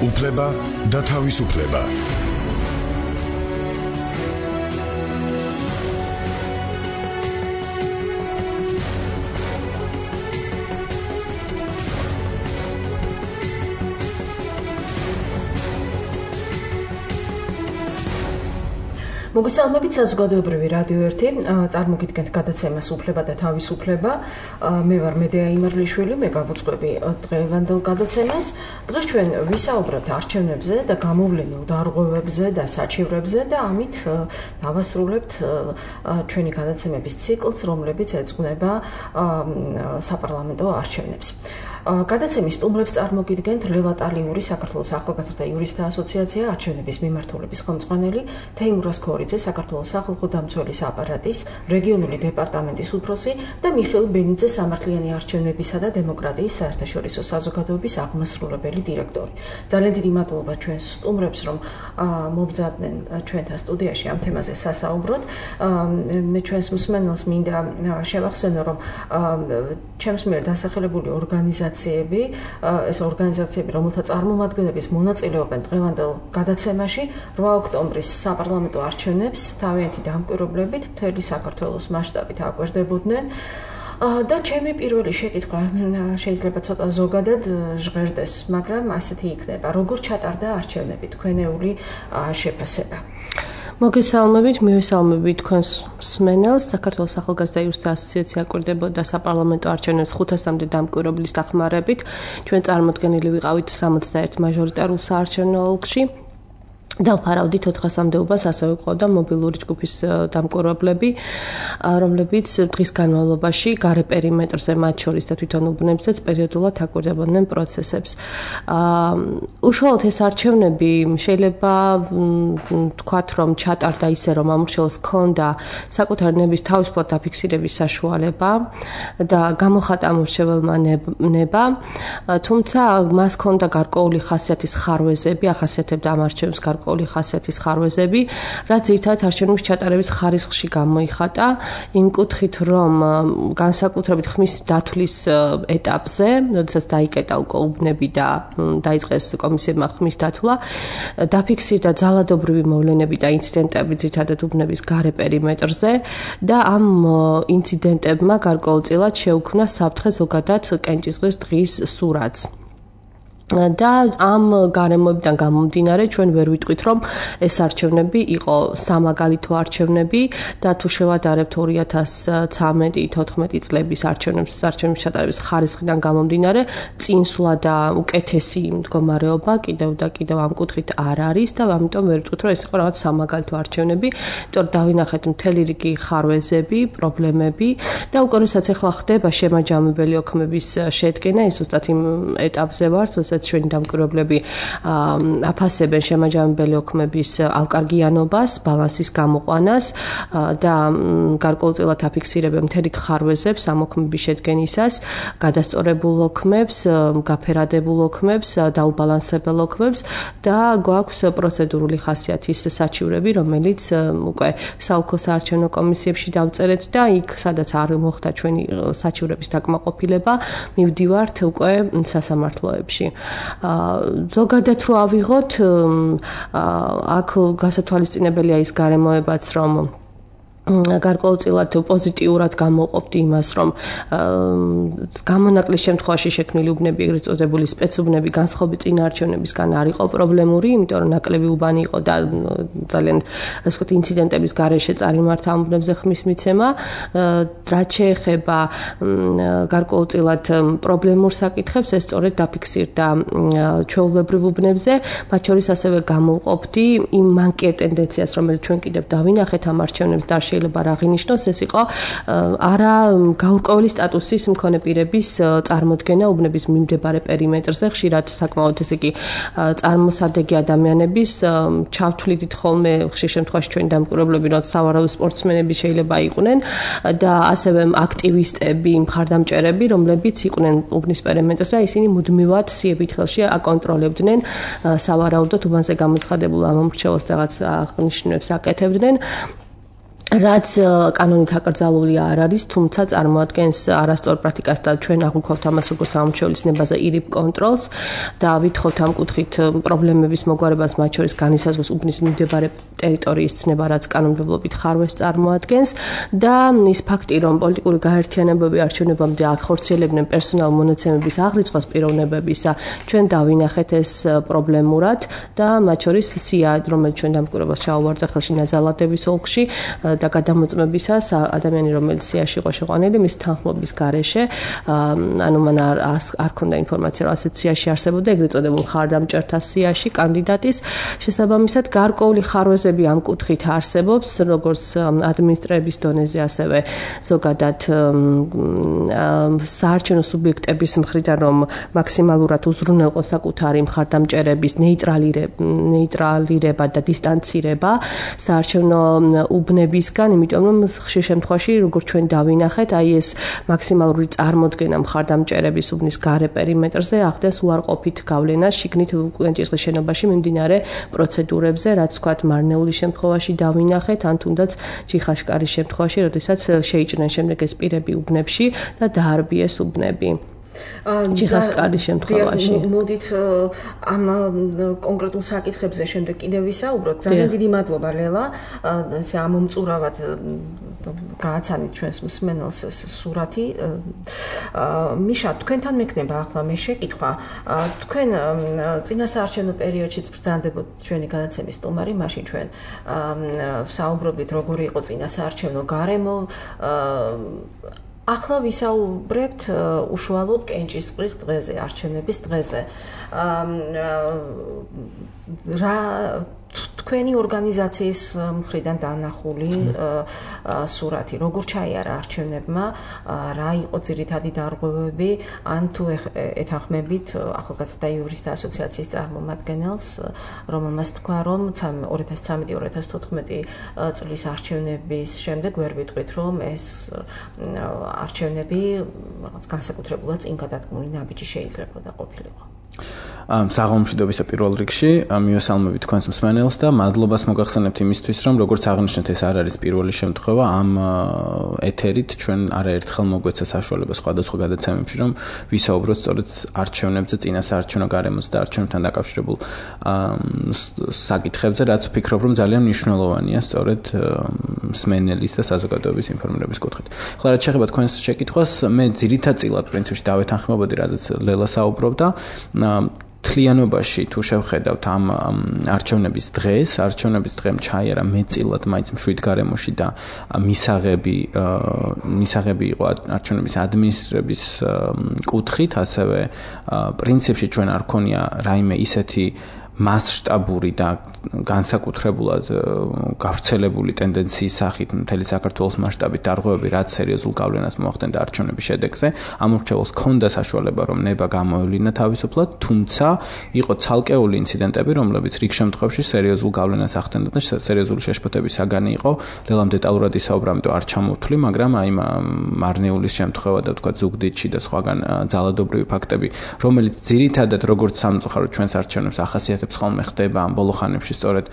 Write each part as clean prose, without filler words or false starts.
უფლება და თავისუფლება. მოგესალმებით საზოგადოებრივი რადიო 1 წარმოგიდგენთ გადაცემას უფლება და თავისუფლება. მე ვარ მედეა იმარლიშვილი, მე გავუძღვები დღევანდელ გადაცემას. დღეს ჩვენ ვისაუბრებთ არჩევნებზე და გამოვლენილ დარღვევებზე და საჩივრებზე და ამით დავასრულებთ ჩვენი გადაცემების ციკლს, რომლებიც ეძღვნება საპარლამენტო არჩევნებს. გადაცემის სტუმრებს წარმოგიდგენთ ლევან ალიური, საქართველოს ახალგაზრდა იურისტთა ასოციაცია, არჩევნების მიმართულების ხელმძღვანელი, თეიმურაზ ქორიძე, საქართველოს სახალხო დამცველის აპარატის რეგიონული დეპარტამენტის უფროსი და მიხეილ ბენიძე, სამართლიანი არჩევნებისა და დემოკრატიის საერთაშორისო საზოგადოების აღმასრულებელი დირექტორი. ძალიან დიდი მადლობა ჩვენს სტუმრებს, რომ მობრძადნენ ჩვენთან სტუდიაში ამ თემაზე სასაუბროთ. მე ჩვენს მსმენელს მინდა შევახსენო, რომ ჩემს მიერ დასახელებული ეს ორგანიზაციები, რომელთა წარმომადგენლების მონაწილეობენ დღევანდელ გადაცემაში 8 ოქტომბრის საპარლამენტო არჩევნებს თავიანთი დამკვირვებლებით მთელი საქართველოს მასშტაბით აკვირდებოდნენ. და ჩემი პირველი შეკითხვა შეიძლება ცოტა ზოგადად ჟღერდეს, მაგრამ ასეთი იქნება. როგორ ჩატარდა არჩევნები, თქვენეული შეფასება? მოგესალმებით, მივესალმებით თქვენს მსმენელს. საქართველოს ახალგაზრდა იურისტთა ასოციაცია აკვირდებოდა sapparlamento არჩევნებს 500-მდე დამკვირვებლის დახმარებით. ჩვენ წარმოდგენილი ვიყავით 61 მაჟორიტარულ საარჩევნო ოლქში. დავფარავდით 400-მდეობას, ასევე ყავდა მობილური ჯგუფის დამკვირვებლები, რომლებიც დღის განმავლობაში გარე პერიმეტრზე, მათ შორის და თვითონ უბნებზეც პერიოდულად აკვირდებოდნენ პროცესებს. უშუალოდ ეს არჩევნები შეიძლება თქვათ, რომ ჩატარდა ისე, რომ ამორჩეულს ჰქონდა საკუთარი ნების თავისუფლად დაფიქსირების საშუალება და გამოხატა ამორჩეველმა ნება, თუმცა მას ჰქონდა გარკვეული ხასიათის ხარვეზები, ახასიათებდა ამ არჩევნებს გარკვეული ხასიათის ხარვეზები, რაც ძირითადად არჩევნების ჩატარების ხარისხში გამოიხატა, იმ კუთხით, რომ განსაკუთრებით ხმის დათვლის ეტაპზე, როდესაც დაიკეტა უკვე უბნები და დაიწყეს კომისიებმა ხმის დათვლა, დაფიქსირდა ძალადობრივი მოვლენები და ინციდენტები ძირითადად უბნების გარე პერიმეტრზე და ამ ინციდენტებმა გარკვეულწილად შეუქმნა საფრთხე ზოგადად კენჭისყრის დღის სურათს. და ამ გარემოებიდან გამომდინარე ჩვენ ვერ ვიტყვით, რომ ეს არჩევნები იყო სამაგალითო არჩევნები და თუ შევადარებთ 2013-14 წლების არჩევნების ჩატარების ხარისხიდან გამომდინარე, წინსვლა და უკეთესი მდგომარეობა კიდევ ამ კუთხით არ არის და ამიტომ ვერ ვიტყვით, რომ ეს იყო რაღაც სამაგალითო არჩევნები, იმიტომ რომ დავინახეთ მთელი რიგი ხარვეზები, პრობლემები და უკვე როდესაც ახლა ხდება შემაჯამებელი ოქმების შედგენა, ის ზუსტად იმ ეტაპზე ვართ, ჩვენი დამკვირვებლები აფასებენ შემაჯამებელი ოქმების ავკარგიანობას, ბალანსის გამოყვანას და გარკვეულწილად აფიქსირებენ მთელი ხარვეზებს ამ ოქმების შედგენისას, გადასწორებულ ოქმებს, გაფერადებულ ოქმებს, დაუბალანსებელ ოქმებს და გვაქვს პროცედურული ხასიათის საჩივრები, რომელიც უკვე საოლქო საარჩევნო კომისიებში დავწერეთ და იქ, სადაც არ მოხდა ჩვენი საჩივრების დაკმაყოფილება, მივდივართ უკვე სასამართლოებში. ზოგადად რო ავიღოთ, აქ გასათვალისწინებელია ის გარემოებაც, რომ გარკვეულწილად პოზიტიურად გამოვყოფთ იმას, რომ გამონაკლის შემთხვევაში შექმნილი უბნები, ეგრეთ წოდებული სპეცუბნები განსხვავებით წინა არჩევნებისგან არ იყო პრობლემური, იმიტომ რომ ნაკლები უბანი იყო და ძალიან ასე ვთქვათ ინციდენტების გარეშე წარიმართა ამ უბნებზე ხმის მიცემა. რაც შეეხება გარკვეულწილად პრობლემურ საკითხებს, ეს სწორედ დაფიქსირდა ჩვეულებრივ უბნებზე, მათ შორის ასევე გამოვყოფდი იმ მანკიერ ტენდენციას, რომელიც ჩვენ კიდევ დავინახეთ ამ არჩევნებს და შეიძლება რა აღინიშნოს, ეს იყო არა გაურკვეველი სტატუსის მქონე პირების წარმოდგენა უბნების მიმდებარე პერიმეტრზე, ხშირად საკმაოდ ესე იგი წარმოსადეგი ადამიანების ჩავთვლიდით ხოლმე ხშირ შემთხვევაში ჩვენი დამკვირვებლები, რომ სავარაუდო სპორტსმენები შეიძლება იყვნენ და ასევე აქტივისტები, მხარდამჭერები, რომლებიც იყვნენ უბნის პერიმეტრზე და ისინი მუდმივად სიებით ხელში აკონტროლებდნენ სავარაუდოდ უბანზე გამოცხადებულ ამ მომრჩეველს რაღაც აღნიშნულებს აკეთებდნენ. რაც კანონით აკრძალული არ არის, თუმცა წარმოადგენს არასწორ პრაქტიკას და ჩვენ აღვიქვავთ ამას როგორც სამომრჩევლის ნებაზე ირიბ კონტროლს და ვითხოვთ ამ კუთხით პრობლემების მოგვარებას, მათ შორის განისაზღვროს უბნის მიმდებარე ტერიტორიის ცნება, რაც კანონმდებლობით ხარვეს წარმოადგენს და ის ფაქტი, რომ პოლიტიკური გაერთიანებები არჩევნებამდე ახორციელებდნენ პერსონალ მონაცემების აღრიცხვას პიროვნებებისა, ჩვენ დავინახეთ ეს პრობლემურად და მათ შორის სია, რომელიც ჩვენ დამკვირვებას ჩაუვარდა ხელში ნაძალადების ოლქში და გადამოწმებისას ადამიანი, რომელიც სიაში იყო შეყვანილი, მის თანხმობის გარეშე, ანუ მან არ ქონდა ინფორმაცია, რომ ასეთ სიაში არსებობდა ეგრეთ წოდებულ მხარდამჭერთა სიაში კანდიდატის შესაბამისად გარკვეული ხარვეზები ამ კუთხით არსებობს, როგორც ადმინისტრების დონეზე, ასევე ზოგადად საარჩევნო სუბიექტების მხრიდან, რომ მაქსიმალურად უზრუნველყოს საკუთარი მხარდამჭერების ნეიტრალირება და დისტანცირება საარჩევნო უბნებისგან, იმიტომ რომ ხშირ შემთხვევაში, როგორც ჩვენ დავინახეთ, აი ეს მაქსიმალური წარმოდგენა მხარდამჭერების უბნის გარე პერიმეტრზე ახდენს უარყოფით გავლენას შიგნით კენჭისყრის შენობაში მიმდინარე პროცედურებზე, რაც ვთქვათ, მარნეულის შემთხვევაში დავინახეთ, ან თუნდაც ჩიხაშკარის შემთხვევაში, როდესაც შეიჭრნენ შემდეგ ეს პირები უბნებში და დაარბიეს უბნები. ჩიხასკარის შემთხვევაში. მოდით ამ კონკრეტულ საკითხებზე შემდეგ კიდევ ვისაუბროთ. ძალიან დიდი მადლობა ლელა. ამომწურავად გააცანით ჩვენს მსმენელს ეს სურათი. მიშა, თქვენთან მექნება ახლა მე შეკითხვა. თქვენ წინასაარჩევნო პერიოდშიც ბრძანდებოდით ჩვენი გადაცემის სტუმარი, მაშინ ჩვენ საუბრობდით როგორი იყო წინასაარჩევნო გარემო. ახლა ვისაუბრებთ უშუალოდ კენჭისყრის დღეზე, არჩევნების დღეზე. რა თქვენი ორგანიზაციის მხრიდან დანახული სურათი, როგორ ჩაიარა არჩევნებმა, რა იყო ძირითადი დარღვევები, ან თუ ეთანხმებით ახალგაზრდა იურისტთა ასოციაციის წარმომადგენელს, რომელმაც თქვა, რომ 2013-2014 წლის არჩევნების შემდეგ ვერ ვიტყვით, რომ ეს არჩევნები რაღაც განსაკუთრებულად წინ გადადგმული ნაბიჯი შეიძლება ყოფილიყო. საღამომშვიდობისა პირველ რიგში მივესალმებით თქვენს მსმენელს და მადლობას მოგახსენებთ იმისთვის, რომ როგორც აღნიშნეთ, ეს არ არის პირველი შემთხვევა ამ ეთერით ჩვენ არაერთხელ მოგვეცა საშუალება სხვადასხვა გადაცემებში, რომ ვისაუბროთ სწორედ არჩევნებზე, წინასაარჩევნო გარემოზე და არჩევნებთან დაკავშირებულ საკითხებზე, რაც ვფიქრობ, რომ ძალიან მნიშვნელოვანია სწორედ მსმენელის და საზოგადოების ინფორმირების კუთხით. ახლა რაც შეეხება თქვენს შეკითხვას, მე ძირითადად პრინციპში დავეთანხმებოდი, რადგან ლელა საუბრობდა. თლიანობაში თუ შევხედავთ ამ არჩევნების დღემ ჩაიარა მეტწილად მაინც მშვიდ გარემოში და მისაღები იყო არჩევნების ადმინისტრების კუთხით, ასევე პრინციპში ჩვენ არ ქონია რაიმე ისეთი მასშტაბური და განსაკუთრებულად გავრცელებული ტენდენციის სახით მთელი საქართველოს მასშტაბით დარღვევები, რაც სერიოზულ გავლენას მოახდენდა არჩევნების შედეგზე. ამორჩეულს ჰქონდა საშუალება, რომ ნება გამოევლინა თავისუფლად, თუმცა იყო ცალკეული ინციდენტები, რომლებიც რიგ შემთხვევაში სერიოზულ გავლენას ახდენდა და სერიოზული შეშფოთების საგანი იყო. ლელამ დეტალურად ისაუბრა, ამიტომ არ ჩამოვთვლი, მაგრამ აი მარნეულის შემთხვევა და თქვა ზუგდიდში და სხვაგან ძალადობრივი ფაქტები, რომელიც ძირითადად როგორც სამწუხაროდ ჩვენს არჩევნებს ახასიათებს ხოლმე ხდება ამ ბოლო ხანებში სწორედ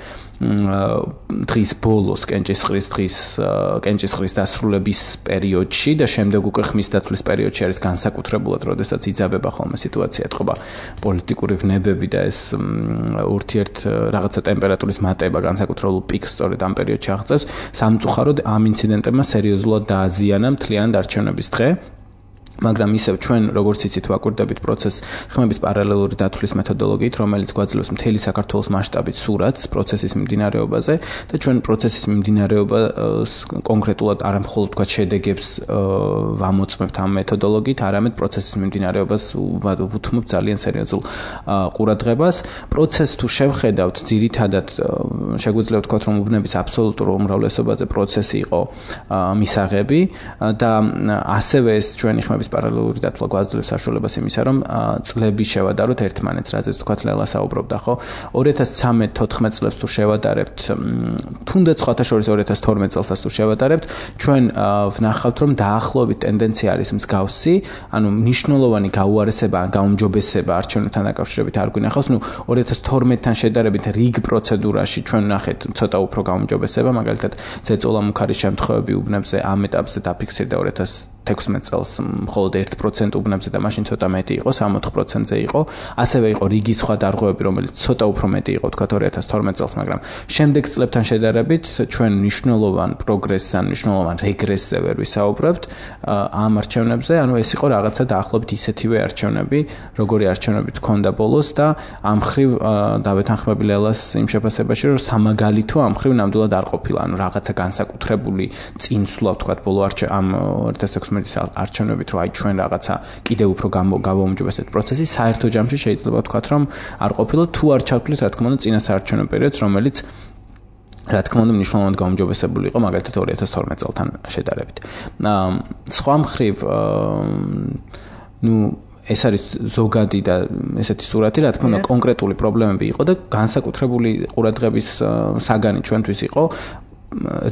დღის ბოლოს კენჭისყრის დასრულების პერიოდში და შემდეგ უკვე ხმის დათვლის პერიოდში არის განსაკუთრებულად, როდესაც იძაბება ხოლმე სიტუაცია, ეთყობა პოლიტიკური ვნებები და ეს ურთიერთ რაღაცა ტემპერატურის მატება განსაკუთრებულ პიკს სწორედ ამ პერიოდში აღწევს. სამწუხაროდ ამ ინციდენტებმა სერიოზულად დააზიანა მთლიანად არჩევნების დღე. მაგრამ ისევ ჩვენ როგორც იცით ვაკვირდებით პროცესს ხმების პარალელური დათვლის მეთოდოლოგიით, რომელიც გვაძლევს მთელი საქართველოს მასშტაბით სურათს პროცესის მიმდინარეობაზე და ჩვენ პროცესის მიმდინარეობას კონკრეტულად არა მხოლოდ თქვა შედეგებს ვამოწმებთ ამ მეთოდოლოგიით, არამედ პროცესის მიმდინარეობას ვუთმობთ ძალიან სერიოზულ ყურადღებას. პროცესს თუ შევხედავთ, ძირითადად შეგვიძლია ვთქვათ, რომ უბნების აბსოლუტურ უმრავლესობაზე პროცესი იყო მისაღები და ასევე ეს ჩვენი ხმების პარალელური დათვლა გვაძლევს საშუალებას იმისა, რომ წლები შევადაროთ ერთმანეთს, რაზეც თქვათ ლელა საუბრობდა, ხო? 2013-14 წლებს თუ შევადარებთ, თუნდაც სხვათა შორის 2012 წელსაც თუ შევადარებთ, ჩვენ ვნახავთ, რომ დაახლოებით ტენდენცია არის მსგავსი, ანუ მნიშვნელოვანი გაუარესება ან გაუმჯობესება არჩევნებთან დაკავშირებით არ გვინახავს, 2012-თან შედარებით რიგ პროცედურაში ჩვენ ვნახეთ ცოტა უფრო გაუმჯობესება, მაგალითად, ზეწოლა მუქარის შემთხვევები უბნებზე ამ ეტაპზე დაფიქსირდა 2016 წელს მხოლოდ 1% უბნებზე და მაშინ ცოტა მეტი იყო, 64%-ზე იყო. ასევე იყო რიგი სხვა დარღვევები, რომელიც ცოტა უფრო მეტი იყო, თქვა 2012 წელს, მაგრამ შემდეგ წლებთან შედარებით ჩვენ მნიშვნელოვან პროგრესს ან მნიშვნელოვან რეგრესზე ვერ ვისაუბრებთ ამ არჩევნებზე, ანუ ეს იყო რაღაცა დაახლოებით ისეთივე არჩევნები, როგორი არჩევნებიც ჰქონდა ბოლოს და ამ ხრივ დავეთანხმები ლელას იმ შეფასებაში, რომ სამაგალითო ამ ხრივ ნამდვილად არ ყოფილა, ანუ რაღაცა განსაკუთრებული წინსვლა, თქვა ბოლო ამ 2016 არჩევნებით, რომ აი ჩვენ რაღაცა კიდევ უფრო გავაუმჯობესეთ პროცესი, საერთო ჯამში შეიძლება ვთქვათ, რომ არ ყოფილა თუ არ ჩავთვლით, რა თქმა უნდა, წინასაარჩევნო პერიოდს, რომელიც რა თქმა უნდა მნიშვნელოვნად გაუმჯობესებული იყო, მაგალითად 2012 წელთან შედარებით. სხვა მხრივ, ეს არის ზოგადი და ესეთი სურათი, რა თქმა უნდა, კონკრეტული პრობლემები იყო და განსაკუთრებული ყურადღების საგანი ჩვენთვის იყო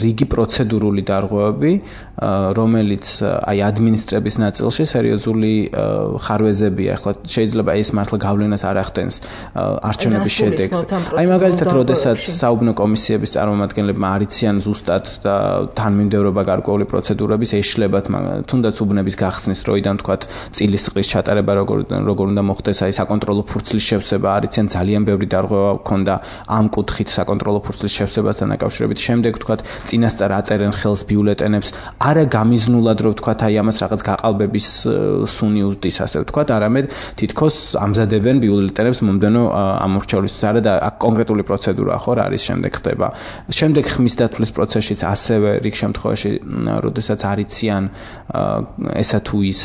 რიგი პროცედურული დარღვევები, რომელიც აი ადმინისტრების ნაწილში სერიოზული ხარვეზებია. ახლა შეიძლება ეს მართლა გავლენას არ ახდენს არჩევნების შედეგს. აი მაგალითად, როდესაც საუბნო კომისიების წარმომადგენლებმა არიციან ზუსტად და თანმიმდევრობა გარკვეული პროცედურების ეშლებათ, თუნდაც უბნების გახსნის დროიდან თქვათ წილისყრის ჩატარება როგორ უნდა მოხდეს, აი საკონტროლო ფურცლის შევსება არიციან, ძალიან ბევრი დარღვევა ჰქონდა ამ კუთხით საკონტროლო ფურცლის შევსებასთან დაკავშირებით. შემდეგ წინასწარ აწერენ ხელს ბიულეტენებს, არა გამიზნულად, რომ ვთქვათ, აი ამას რაღაც გაყალბების სუნი უზდის, ასე ვთქვათ, არამედ თითქოს ამზადებენ ბიულეტენებს მომდენო ამორჩევლისთვის. არა და აქ კონკრეტული პროცედურაა, ხო, რა არის შემდეგ ხდება. შემდეგ ხმის დათვლის პროცესშიც ასევე რიგ შემთხვევაში, როდესაც არიციან ესა თუ ის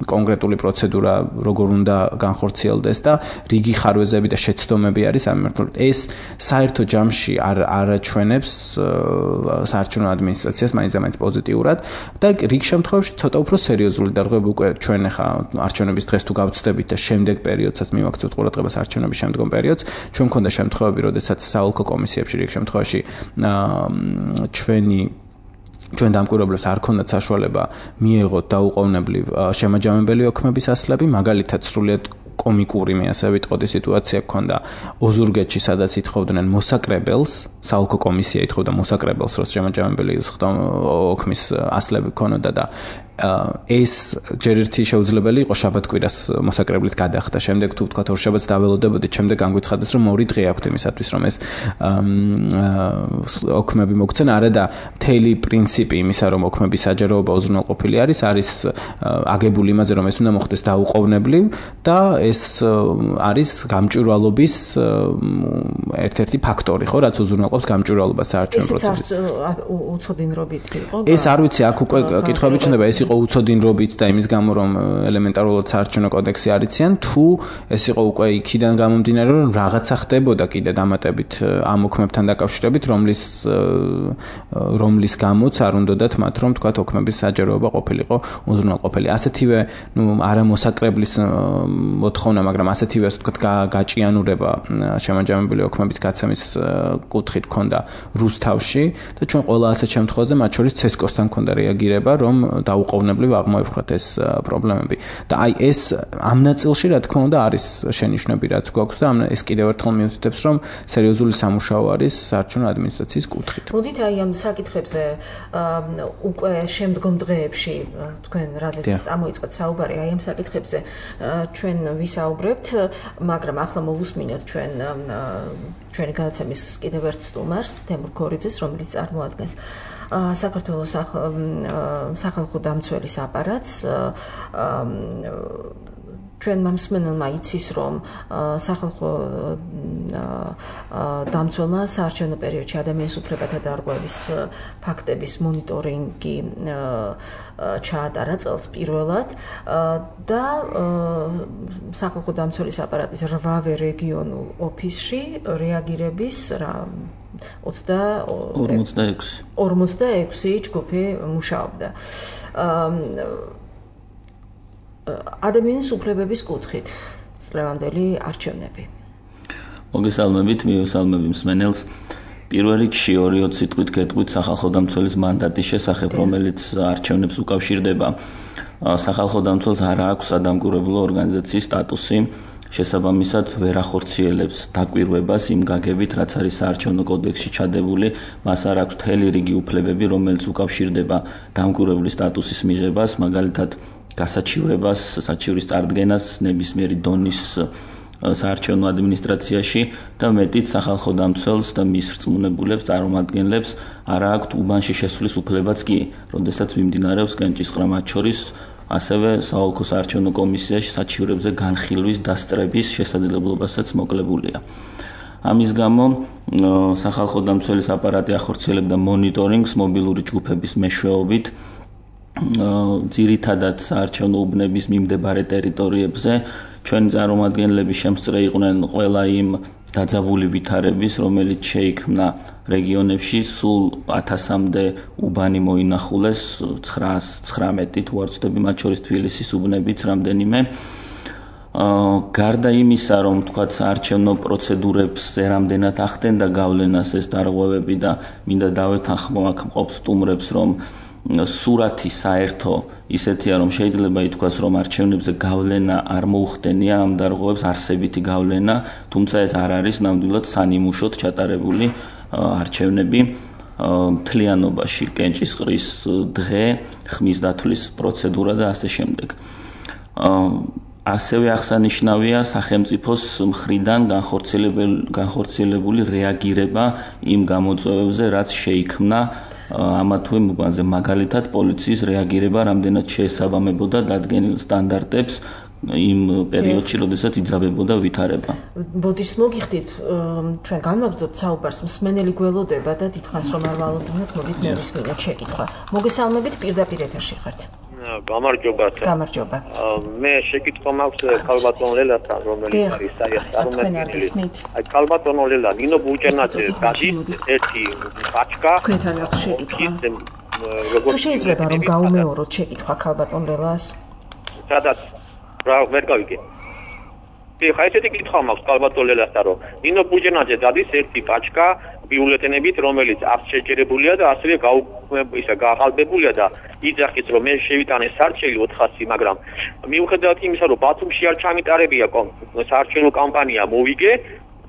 კონკრეტული პროცედურა როგორ უნდა განხორციელდეს და რიგი ხარვეზები და შეცდომები არის ამ მიმართულებით. ეს საერთო ჯამში არ ჩვენებს საარჩევნო ადმინისტრაციას მაინც და მაინც პოზიტიურად და რიგ შემთხვევაში ცოტა უფრო სერიოზული დარღვევები უკვე ჩვენ ახლა არჩევნების დღეს თუ გავწდებით და შემდეგ პერიოდსაც მივაქცევთ ყურადღებას არჩევნების შემდგომ პერიოდს, ჩვენ მქონდა შემთხვევები, როდესაც საოლქო კომისიებში რიგ შემთხვევაში ჩვენ დამკვირვებლებს არ ქონდათ საშუალება მიეღოთ დაუყოვნებლივ შემაჯამებელი ოქმების ასლები, მაგალითად სრულიად კომიკური მე ასე ვიტყოდი სიტუაცია გქონდა ოზურგეთში, სადაც ითხოვდნენ მოსაკრებელს, საოლქო კომისია ითხოვდა მოსაკრებელს, რომ შემაჯამებელი ოქმის ასლები ქონოდა და ეს ჯერ ერთი შეუძლებელი იყო შაბათ-კვირას მოსაკრებლის გადახდა. შემდეგ თუ ვთქვათ ორშაბათს დაველოდებოდით, შემდეგ განგვიცხადეს, რომ ორი დღე აქვთ იმისათვის, რომ ეს ოქმები მოგცენ. არა და მთელი პრინციპი იმისა, რომ ოქმების საჯაროობა უზრუნველყოფილი არის აგებული იმაზე, რომ ეს უნდა მოხდეს დაუყოვნებლივ და ეს არის გამჭვირვალობის ერთ-ერთი ფაქტორი, ხო, რაც უზრუნველყოფს გამჭვირვალობას საარჩევნო პროცესში. ესეც უცოდინრობით იყო. ეს არ ვიცი, აქ უკვე კითხვები ჩნდება, ეს იყო უცოდინრობით და იმის გამო, რომ ელემენტარულად საარჩევნო კოდექსი არიციან, თუ ეს იყო უკვე იქიდან გამომდინარე, რომ რაღაცა ხდებოდა კიდე დამატებით ამ ოქმებთან დაკავშირებით, რომლის გამოც არ უნდათ მათ, რომ თქვათ ოქმების საჯაროობა ყოფილიყო უზრუნველყოფილი. ასეთივე, არა მოსაკრებლის მოთხოვნა, მაგრამ ასეთივე, ასე ვთქვათ, გაჭიანურება შემაჯამებელი ოქმების გაცემის კუთხით ჰქონდა რუსთავში და ჩვენ ყველა ასეთ შემთხვევაზე, მათ შორის ცესკოსთან ჰქონდა რეაგირება, რომ დაუყოვნებლივ აღმოეფხვრათ ეს პრობლემები. და აი ეს ამ ნაწილში, რა თქმა უნდა, არის შენიშვნები, რაც გვაქვს და ეს კიდევ ერთხელ მიუთითებს, რომ სერიოზული სამუშაო არის საარჩევნო ადმინისტრაციის კუთხით. მოდით აი ამ საკითხებზე უკვე შემდგომ დღეებში თქვენ რაზეც წამოიწყეთ საუბარი, აი ამ საკითხებზე ჩვენ ვისაუბრებთ, მაგრამ ახლა მოვუსმინოთ ჩვენი გადაცემის კიდევ ერთ სტუმარს, თემურ ქორიძეს, რომელიც წარმოადგენს საქართველოს სახალხო დამცველის აპარატს. ჩვენმა მსმენელმა იცის, რომ სახალხო დამცველმა საარჩევნო პერიოდში ადამიანის უფლებათა დარღვევის ფაქტების მონიტორინგი ჩაატარა წელს პირველად და სახალხო დამცველის აპარატის 8-ვე რეგიონულ ოფისში რეაგირების 46 ჯგუფი მუშაობდა. ადამიანის უფლებების კუთხით წლევანდელი არჩევნები. მოგესალმებით, მივესალმები მსმენელს. პირველ რიგში 2-20 სიტყვით გეტყვით სახალხო დამცველის მანდატის შესახებ, რომელიც არჩევნებს უკავშირდება. სახალხო დამცველს არ აქვს სადამკვირვებლო ორგანიზაციის სტატუსი, შესაბამისად ვერ ახორციელებს დაკვირვებას იმ გაგებით, რაც არის საარჩევნო კოდექსში ჩადებული, მას არ აქვს მთელი რიგი უფლებები, რომელიც უკავშირდება დამკვირვებლის სტატუსის მიღებას, მაგალითად გასაჩივრებას, საჩივრის წარდგენას ნებისმიერი დონის საარჩევნო ადმინისტრაციაში და მეტიც სახალხო დამცველს და მის რწმუნებულებს, წარმომადგენლებს არ აქვთ უბანში შესვლის უფლებაც კი, როდესაც მიმდინარეობს კენჭისყრა, მათ შორის ასევე საოლქო საარჩევნო კომისიაში საჩივრებზე განხილვის დასწრების შესაძლებლობასაც მოკლებულია. ამის გამო სახალხო დამცველის აპარატი ახორციელებდა მონიტორინგს მობილური ჯგუფების მეშვეობით, ძირითადად საარჩევნო უბნების მიმდებარე ტერიტორიებზე. ჩვენი წარმომადგენლები შემსწრე იყვნენ ყველა იმ დაძაბული ვითარების, რომელიც შეიქმნა რეგიონებში, სულ 1000-მდე უბანი მოინახულეს, 919 თუ არ ვცდები, მათ შორის თბილისის უბნებიც რამდენიმე. გარდა იმისა, რომ თქვათ საარჩევნო პროცედურებზე რამდენად ახდენდა გავლენას ეს დარღვევები და მინდა დავეთანხმო აქ მყოფ სტუმრებს, რომ სურათი საერთო ისეთია, რომ შეიძლება ითქვას, რომ არჩევნებზე გავლენა არ მოუხდენია ამ დარღვევებს არსებითი გავლენა, თუმცა ეს არ არის ნამდვილად სანიმუშოდ ჩატარებული არჩევნები მთლიანობაში, კენჭისყრის დღე, ხმის დათვლის პროცედურა და ასე შემდეგ. ასევე აღსანიშნავია სახელმწიფოს მხრიდან განხორციელებული რეაგირება იმ გამოწვევებზე, რაც შეიქმნა ამა თუ იმ უბანზე, მაგალითად პოლიციის რეაგირება რამდენად შეესაბამებოდა დადგენილ სტანდარტებს იმ პერიოდში, როდესაც იძაბებოდა ვითარება. ბოდიშს მოგიხდით, ჩვენ განვაგრძობთ საუბარს, მსმენელი გველოდება და დიდხანს რომ არ ვალოდნოთ, მოდით მისმინოთ შეკითხვა. მოგესალმებით, პირდაპირ ეთერში ხართ. გამარჯობა. გამარჯობა. მე შეკითხვა მაქვს ქალბატონ ლელასთან, რომელიც არის წარმომადგენელი. აი ქალბატონ ლელა, ნინო ბუჭენაძე გადის ერთი ბაჩკა. თქვენთან აქვს შეკითხვა. თუ შეიძლება რომ გაუმეოროთ შეკითხვა ქალბატონ ლელას? სადაც რა ვერ გავიგე. ხა ესეთი კითხვა მაქვს ქალბატონ ლელასთან, რომ ნინო ბუჭენაძე გადის ერთი ბაჩკა ბიულეტენებით, რომელიც არ შეჯერებულია და ასევე გაყალბებულია და იძახის, რომ მე შევიტანე სარჩელი 400, მაგრამ მიუხედავად იმისა, რომ ბათუმში არ ჩამიტარებია საარჩევნო კამპანია, მოვიგე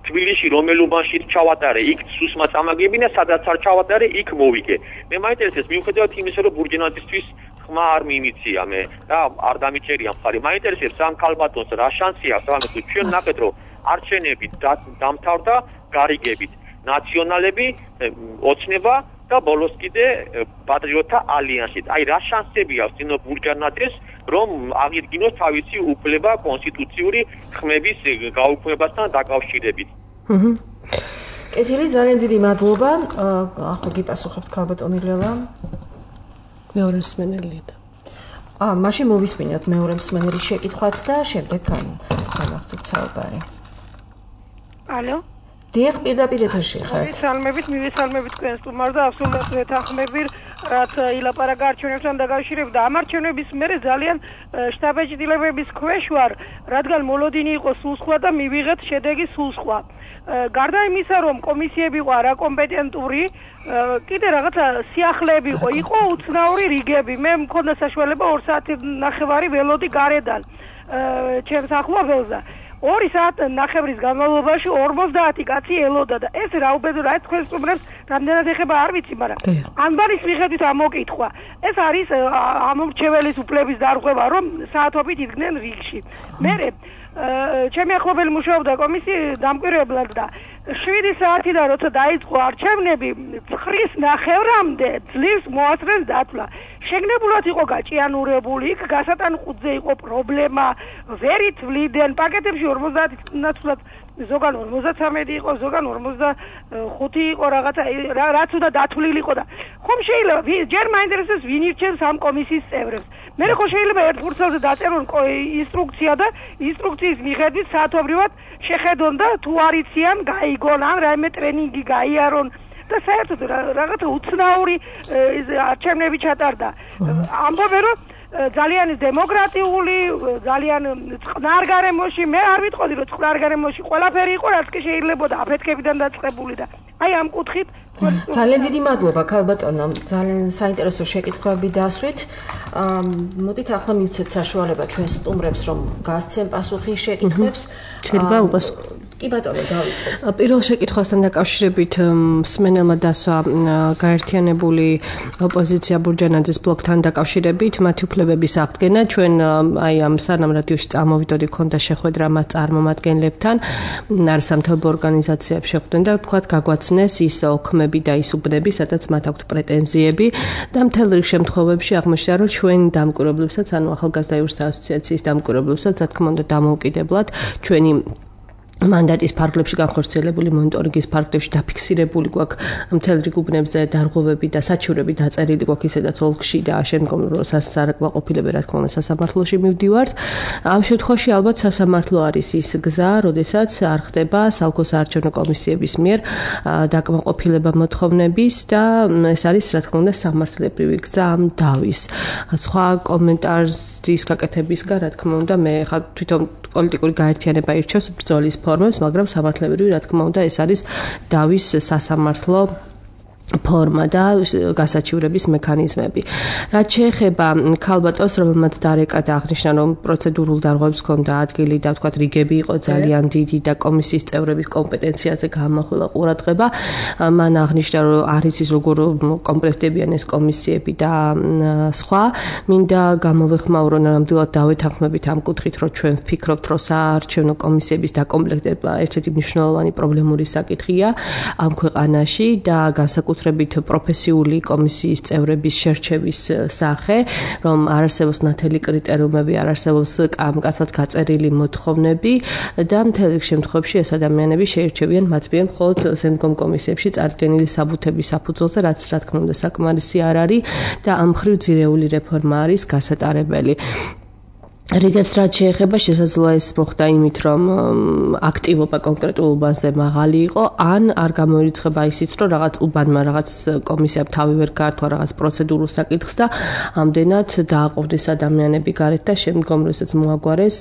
თბილისში რომელ უბანში ჩავატარე, იქ სუსმა წამაგებინა, სადაც არ ჩავატარე, იქ მოვიგე. მე მაინტერესებს მიუხედავად იმისა, რომ ბურჯენაძისთვის ხმა არ მიიმიცია მე და არ დამიჭერია მხარი. მაინტერესებს ამ ქალბატონს რა შანსი აქვს, ანუ ჩვენ ნახეთ, რომ არჩევნები დამთავრდა გარიგებით. ნაციონალები, ოცნება და ბოლოს კიდე პატრიოტთა ალიანსით. აი რა შანსები აქვს ნინო ბურჯანაძეს, რომ აღიდგინოს თავისი უფლება კონსტიტუციური ხმების გაუქმებასთან დაკავშირებით. კეთილი, ძალიან დიდი მადლობა. ახლა გიპასუხებთ ქალბატონი ლელა. მეორე მსმენელია და. მაშინ მოვისმინოთ მეორე მსმენელის შეკითხვაც და შემდეგ განვაგრძობთ საუბარი. ალო? დიახ, პირდაპირ ეთერში ხართ. მივესალმებით თქვენ სტუმარს და აბსოლუტურად ვეთანხმები, რაც ილაპარაკა არჩევნებთან დაკავშირებით და ამ არჩევნების მერე ძალიან შტაბ-ეჭდილებების ქვეშ ვარ, რადგან მოლოდინი იყო სულ სხვა და მივიღეთ შედეგი სულ სხვა. გარდა იმისა, რომ კომისიები იყო არაკომპეტენტური, კიდე რაღაცა სიახლეები იყო უცნაური რიგები. მე მქონდა საშუალება 2 საათი ველოდი გარედან ჩემს ახლობელზე. 2 საათის განმავლობაში 50 კაცი ელოდა და ეს რა უბედურა, ეს თქვენ სტუმრებს რამდენად ეხება არ ვიცი, მაგრამ ანბარის მიხედვით ამოკითხვა. ეს არის ამორჩეველის უფლების დარღვევა, რომ საათობით იდგნენ რიგში. მერე ჩემი ახლობელი მუშაობდა კომისიის დამკვირვებლად და 7 საათიდან როცა დაიწყო არჩევნები, 9:30-მდე ძლივს მოასწრეს დათვლა. შეგნებულად იყო გაჭიანურებული, იქ გასატანხუძე იყო პრობლემა, ვერ ითვლიდნენ პაკეტებში 50 ნაცვლად, ზოგან 53 იყო, ზოგან 45 იყო რაღაცა, რაც უნდა დათვლილი იყო და ხომ შეიძლება ჯერ მაინტერესებს ვინ ირჩევს ამ კომისიის წევრებს. მე ხო შეიძლება ერთ ფურცელზე დაწერონ ინსტრუქცია და ინსტრუქციის მიხედვით საათობრივად შეხედონ და თუ არ იციან, გაიგონ, ან რაიმე ტრენინგი გაიარონ. და საერთოდ რაღაცა უცნაური არჩევნები ჩატარდა. ამბობენ, რომ ძალიან დემოკრატიული, ძალიან წყნარ გარემოში, მე არ ვიტყოდი რომ წყნარ გარემოში ყველაფერი იყო, რაც კი შეიძლებოდა აფეთქებიდან დაწყებული და აი ამ კუთხით ძალიან დიდი მადლობა ქალბატონო, ძალიან საინტერესო შეკითხვები დასვით. მოდით ახლა მივცეთ საშუალება ჩვენ სტუმრებს რომ გასცენ პასუხი შეკითხვებს. შეიძლება უპასუხო. კი ბატონო, დავიწყოთ. პირველ შეკითხვასთან დაკავშირებით მსმენელმა დასვა გაერთიანებული ოპოზიცია ბურჯანაძის ბლოკთან დაკავშირებით მათი უფლებების აღდგენა. ჩვენ აი ამ სანამ რადიოში წამოვიდოდი, ქონდა შეხვედრა მათ წარმომადგენლებთან, არასამთავრობო ორგანიზაციებს შეხვდნენ და თქვათ გაგვაცნეს ის ოქმები და ის უბნები, სადაც მათ აქვთ პრეტენზიები და მთელ რიგ შემთხვევებში აღმოჩნდა, რომ ჩვენ დამკვირვებლებსაც, ანუ ახალგაზრდა იურისტთა ასოციაციის დამკვირვებლებსაც, რა თქმა უნდა, დამოუკიდებლად ჩვენი მანდატის ფარგლებში განხორციელებული მონიტორინგის ფარგლებში დაფიქსირებული გვაქვს მთელ რიგ უბნებზე დარღვევები და საჩივრები დაწერილი გვაქვს ისედაც ოლქში და შემდგომ სასარგებლოყოფილები რა თქმა უნდა სასამართლოში მივდივართ. ამ შემთხვევაში ალბათ სასამართლო არის ის გზა, როდესაც არ ხდება საოლქო საარჩევნო კომისიების მიერ დაკმაყოფილება მოთხოვნების და ეს არის რა თქმა უნდა სამართლებრივი გზა ამ დავის. სხვა კომენტარის გაკეთებისგან რა თქმა უნდა მე ხა თვითონ პოლიტიკური გაერთიანება ირჩევს ბრძოლის ფორმებს, მაგრამ სამართლებრივი რა თქმა უნდა ეს არის დავის სასამართლო ფორმა და გასაჩივრების მექანიზმები. რაც შეეხება ქალბატონს, რომელმაც დარეკა და აღნიშნა, რომ პროცედურულ დარღვევებს ჰქონდა ადგილი და თქვათ რიგები იყო ძალიან დიდი და კომისიის წევრების კომპეტენციაზე გამახვილა ყურადღება, მან აღნიშნა, რომ არის ის როგორ კომპლექტებიან ეს კომისიები და სხვა. მინდა გამოვეხმაურო ნამდვილად დავეთანხმებით ამ კუთხით, რომ ჩვენ ვფიქრობთ, რომ საარჩევნო კომისიების დაკომპლექტება ერთ-ერთი მნიშვნელოვანი პრობლემური საკითხია ამ ქვეყანაში და განსაკუთრებით პროფესიული კომისიის წევრების შერჩევის სახე, რომ არ არსებობს ნათელი კრიტერიუმები, არ არსებობს კამკაცად გაწერილი მოთხოვნები და მთელ რიგ შემთხვევებში ეს ადამიანები შეირჩევიან მათ მიერ მხოლოდ შემდგომ კომისიებში წარდგენილი საბუთების საფუძველზე, რაც რა თქმა უნდა საკმარისი არ არის და ამ მხრივ ძირეული რეფორმა არის გასატარებელი. რიგებს რაც შეეხება შესაძლოა ეს მოხდა იმით, რომ აქტივობა კონკრეტულ უბანზე მაღალი იყო, ან არ გამოირიცხება ისიც, რომ რაღაც უბანმა რაღაც კომისიამ თავი ვერ გაართვა რაღაც პროცედურულ საკითხს და ამდენად დააყოვდეს ადამიანები გარეთ და შემდგომ როდესაც მოაგვარეს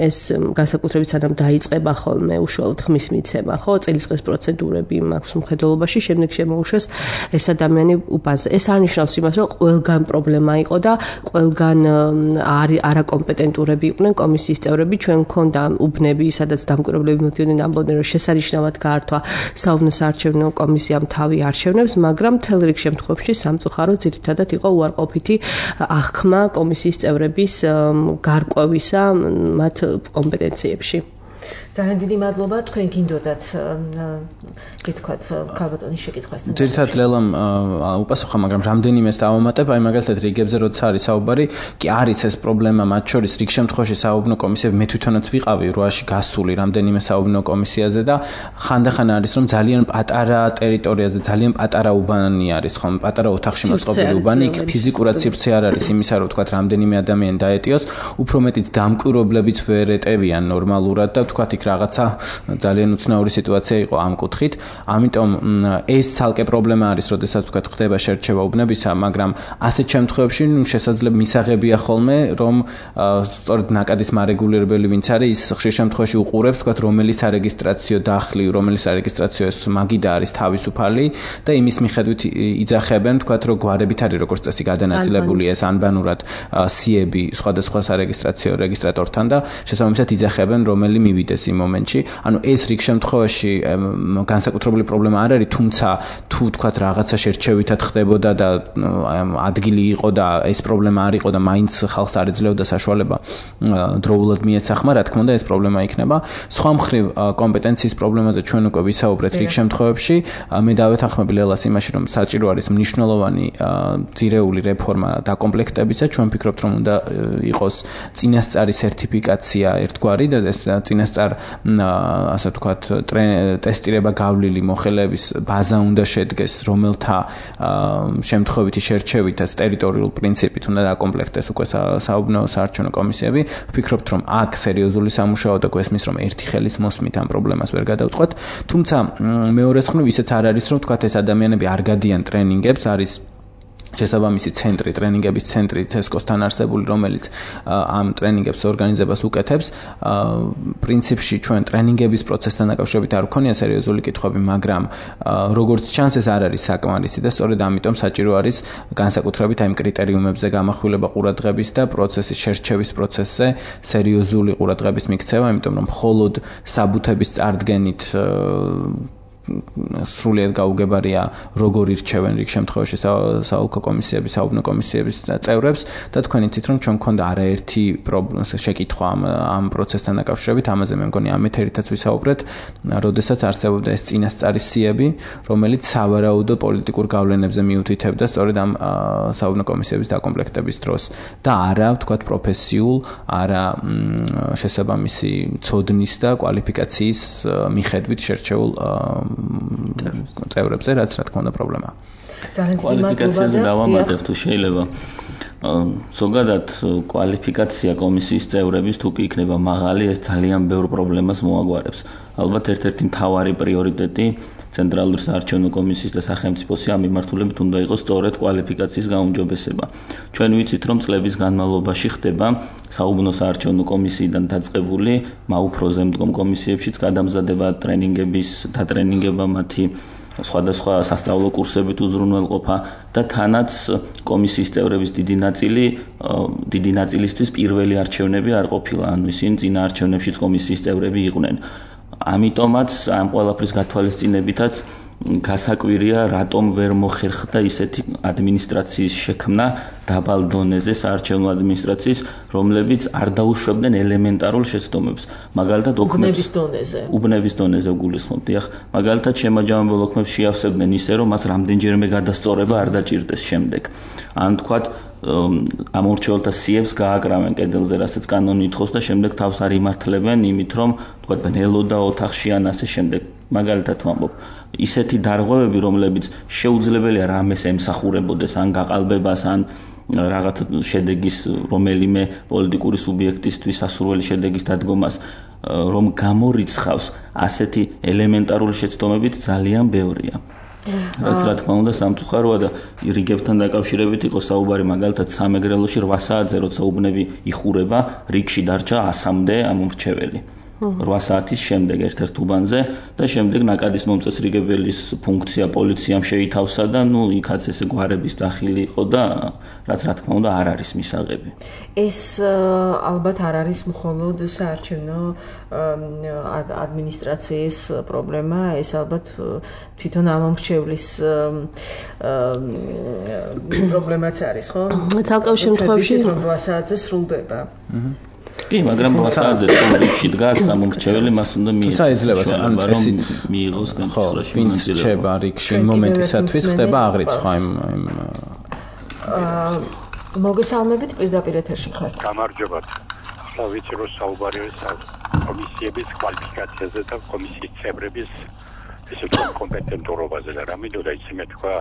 ეს განსაკუთრებით სანამ დაიწყება ხოლმე უშუალოდ ხმის მიცემა, ხო, წელიწადის პროცედურები მაქვს მხედველობაში, შემდეგ შემოუშვეს ეს ადამიანი უბანზე. ეს არნიშნავს იმას, რომ ყველგან პრობლემა იყო და ყველგან არაკომპეტენტურები იყვნენ კომისიის წევრები. ჩვენ მქონდა უბნები, სადაც დამკვირვებლები მოდიოდნენ, ამბობდნენ, რომ შესანიშნავად გაართვა საუბნო საარჩევნო კომისიამ თავი არჩევნებს, მაგრამ მთელ რიგ შემთხვევებში სამწუხარო ძირითადად იყო უარყოფითი აღქმა კომისიის წევრების გარკვევისა მათ კომპეტენციებში. ძალიან დიდი მადლობა, თქვენ გინდოდათ გითქვათ ქალბატონის შეკითხვასთან. ძირითადად ლელამ უპასუხა, მაგრამ რამდენიმეს დავამატებ, აი მაგალითად რიგებზე როცა არის საუბარი, კი არის ეს პრობლემა, მათ შორის რიგ შემთხვევაში საუბნო კომისიები მე თვითონაც ვიყავი 8-ში გასული რამდენიმე საუბნო კომისიაზე და ხანდახან არის რომ ძალიან პატარა ტერიტორიაზე, ძალიან პატარა უბანი არის, ხომ, პატარა ოთახში მოწყობილი უბანი, იქ ფიზიკურად სივრცე არ არის იმისა, რომ თქვათ რამდენიმე ადამიანი დაეტიოს, უფრო მეტიც დამკვირვებლებიც ვერ ეტევიან ნორმალურად და თქვათ იქ რაღაცა ძალიან უცნაური სიტუაცია იყო ამ კუთხით. ამიტომ ეს ცალკე პრობლემა არის, როდესაც თქვათ ხდება შერჩევა უბნებისა, მაგრამ ასეთ შემთხვევებში შესაძლოა მისაღებია ხოლმე, რომ სწორედ ნაკადის მარეგულირებელი ვინც არის, ის ხშირ შემთხვევაში უყურებს, თქვათ რომელი სარეგისტრაციო დახლი, რომელი სარეგისტრაციო მაგიდა არის თავისუფალი და იმის მიხედვით იძახებენ, თქვათ რომ გვარებით არის როგორც წესი გადანაწილებული ეს ანბანურად სიები სხვადასხვა სარეგისტრაციო რეგისტრატორთან და შესაბამისად იძახებენ რომელი მივიდეს იმ მომენტში. ანუ ეს რიგ შემთხვევაში განსაკუთრებული პრობლემა არ არის, თუმცა თუ თქვათ რაღაცა შერჩევითად ხდებოდა და ადგილი იყო და ეს პრობლემა არ იყო და მაინც ხალხს არ ეძლეოდა საშუალება დროულად მიეცახმა, რა თქმა უნდა ეს პრობლემა იქნება. სხვა მხრივ კომპეტენციის პრობლემაზე ჩვენ უკვე ვისაუბრეთ რიგ შემთხვევებში. მე დავეთანხმები ლელას იმაში, რომ საჭირო არის მნიშვნელოვანი ძირეული რეფორმა დაკომპლექტებისა. ჩვენ ვფიქრობთ, რომ უნდა იყოს წინასწარი სერტიფიკაცია ერთგვარი და ეს წინასწარ ასე ვთქვათ ტესტირება გავლილი მოხელეების ბაზა უნდა შედგეს, რომელთა შემთხვევითი შერჩევითაც ტერიტორიულ პრინციპით უნდა დაკომპლექტდეს უკვე საუბნო საარჩევნო კომისიები. ვფიქრობთ, რომ აქ სერიოზული სამუშაო და გვესმის, რომ ერთი ხელის მოსმით ამ პრობლემას ვერ გადავწყვეტ. თუმცა მეორეს მხრივ ისეც არ არის, რომ თქვათ ეს ადამიანები არ გადიან ტრენინგებს, არის შესაბამისი ცენტრი, ტრენინგების ცენტრი CESCO-სთან არსებული, რომელიც ამ ტრენინგებს ორგანიზებას უკეთებს. პრინციპში ჩვენ ტრენინგების პროცესთან დაკავშირებით არ გვქონია სერიოზული კითხვები, მაგრამ როგორც ჩანს ეს არ არის საკმარისი და სწორედ ამიტომ საჭირო არის განსაკუთრებით აი კრიტერიუმებზე გამახვილება ყურადღების და პროცესის შერჩევის პროცესზე სერიოზული ყურადღების მიქცევა, იმიტომ რომ მხოლოდ საბუთების წარდგენით სრულიად გაუგებარია როგორ ირჩევენ რიგ შემთხვევაში საოლქო კომისიების, საუბნო კომისიების წევრებს და თქვენ იცით რომ ჩვენ მქონდა არაერთი შეკითხვა ამ პროცესთან დაკავშირებით, ამაზე მე მგონი ამ ეთერითაც ვისაუბრეთ, როდესაც არსებობდა ეს წინასწარი სიები, რომელიც სავარაუდო პოლიტიკურ გავლენებზე მიუთითებდა სწორედ ამ საუბნო კომისიების დაკომპლექტების დროს და არა ვთქვათ პროფესიულ, არა შესაბამისი ცოდნის და კვალიფიკაციის მიხედვით შერჩეულ წევრებზე, რაც რა თქმა უნდა პრობლემაა. კვალიფიკაციაზე დავამატებ თუ შეიძლება. ზოგადად კვალიფიკაცია კომისიის წევრების თუ კი იქნება მაღალი, ეს ძალიან ბევრ პრობლემას მოაგვარებს. ალბათ ერთ-ერთი მთავარი პრიორიტეტი ცენტრალური საარჩევნო კომისიის და სახელმწიფოს ამ მიმართულებით უნდა იყოს სწორედ კვალიფიკაციის გაუმჯობესება. ჩვენ ვიცით, რომ წლების განმავლობაში ხდება საუბნო საარჩევნო კომისიიდან დაწყებული მაუფროზე მდგომ კომისიებშიც გადამზადება ტრენინგების და ტრენინგება მათი სხვადასხვა სასწავლო კურსებით უზრუნველყოფა და თანაც კომისიის წევრების დიდი ნაწილისთვის პირველი არჩევნები არ ყოფილა, ანუ ისინი წინა არჩევნებშიც კომისიის წევრები იყვნენ. ამიტომაც ამ ყველაფრის გათვალისწინებითაც გასაკვირია, რატომ ვერ მოხერხდა ისეთი ადმინისტრაციის შექმნა დაბალ დონეზე საარჩევნო ადმინისტრაციის, რომლებიც არ დაუშვებდნენ ელემენტარულ შეცდომებს. მაგალითად, უბნების დონეზე გულისხმობ, დიახ. მაგალითად, შემაჯამებელ ოქმებს შეავსებდნენ ისე, რომ მას რამდენჯერმე გადასწორება არ დაჭირდეს შემდეგ. ან თქვათ, ამ ურჩეველთა სიებს გააკრავენ კედელზე, რასაც კანონი ითხოვს და შემდეგ თავს არ იმართლებენ იმით, რომ თქვათ ბნელოდა ოთახში ან ასე შემდეგ. მაგალითად ვამბობ, ისეთი დარღვევები, რომლებიც შეუძლებელია რამეს ემსახურებოდეს, ან გაყალბებას, ან რაღაც შედეგის რომელიმე პოლიტიკური სუბიექტისთვის სასურველი შედეგის დადგომას, რომ გამორიცხავს ასეთი ელემენტარული შეცდომებით ძალიან ბევრია. რაც რა თქმა უნდა სამწუხაროა და რიგებთან დაკავშირებით იყო საუბარი, მაგალითად სამეგრელოში 8 საათზე როცა უბნები იხურება, რიგში დარჩა 100-მდე ამურჩეველი. 8 საათის შემდეგ ერთ-ერთ უბანზე და შემდეგ ნაკადის მომწესრიგებელის ფუნქცია პოლიციამ შეითავსა და იქაც ესე გვარების დახილი იყო და რაც რა თქმა უნდა არ არის მისაღები. ეს ალბათ არ არის მხოლოდ საარჩევნო ადმინისტრაციის პრობლემა, ეს ალბათ თვითონ ამომრჩევლის პრობლემაც არის, ხო? ცალკეულ შემთხვევაში რომ 8 საათზე სრულდება. კი, მაგრამ 8 საათზე რიგში დგას ამომრჩეველი, მას უნდა მიეცეს. თუმცა იძლევა ან წესი მიიღოს განსხვავებაში მონაწილეობა. რჩება რიგში მომენტისათვის ხდება აღრიცხვა იმ მოგესალმებით პირდაპირ ეთერში ხართ. გამარჯობა. ახლა ვიცი რომ საუბარი არის კომისიების კვალიფიკაციაზე და კომისიის წევრების ესე კომპეტენტურობაზე და რამედოდა ისე მეთქვა,